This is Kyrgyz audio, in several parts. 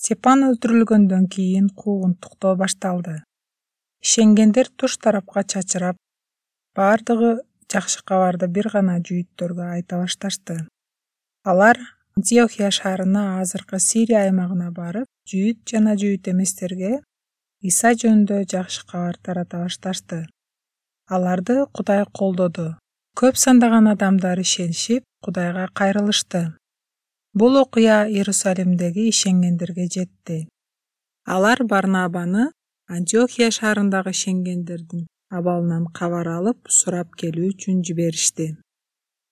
Степан өлтүрүлгөндөн кийин куугунтуктоо башталды. Ишенгендер туш тарапка чачырап, бардыгы жакшы кабарды бир гана жүйүттөргө айта башташты. Алар Антиохия шаарына, азыркы Сирия аймагына барып, жүйүт жана жүйүт эместерге Иса жөнүндө жакшы кабар тарата башташты. Аларды Кудай колдоду. Көп сандаган адамдар ишенишип, Кудайга кайрылышты. Бул окуя Иерусалимдеги ишенгендерге жетти. Алар Барнабаны Антиохия шаарындагы ишенгендердин абалынан кабар алып, сурап келүү үчүн жиберишти.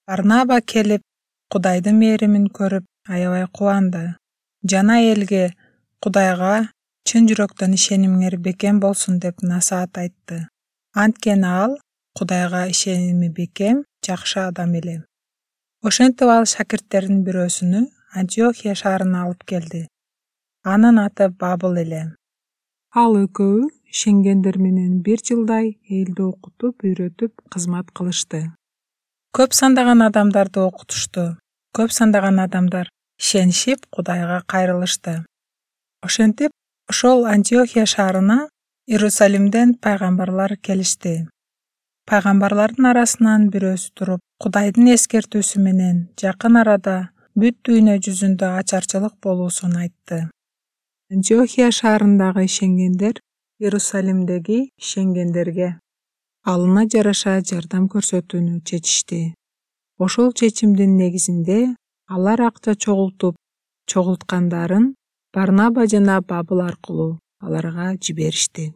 Барнаба келип, Кудайдын мээримин көрүп, аябай кубанды. Жана элге Кудайга чын жүрөктөн ишенимиңер бекем болсун деп насаат айтты. Анткени ал Кудайга ишеними бекем, жакшы адам эле. Ошентип ал шакирттердин бирөөсүнү Антиохия шаарына алып келди. Анын аты Бабыл эле. Ал экөө ишенгендер менен 1 жылдай элди окутуп, үйрөтүп, кызмат кылышты. Көп сандаган адамдарды окутушту. Көп сандаган адамдар ишенишип, Кудайга кайрылышты. Ошентип, ошол Антиохия шаарына Иерусалимден пайгамбарлар келишти. Пайгамбарлардын арасынан бирөөсү туруп, Кудайдын эскертүүсү менен жакын арада бүт дүйнө жүзүндө ачарчылык болуусун айтты. Антиохия шаарындагы ишенгендер Иерусалимдеги ишенгендерге алына жараша жардам көрсөтүүнү чечишти. Ошол чечимдин негизинде алар акча чогулткандарын Барнаба жана Бабыл аркылуу аларга жиберишти.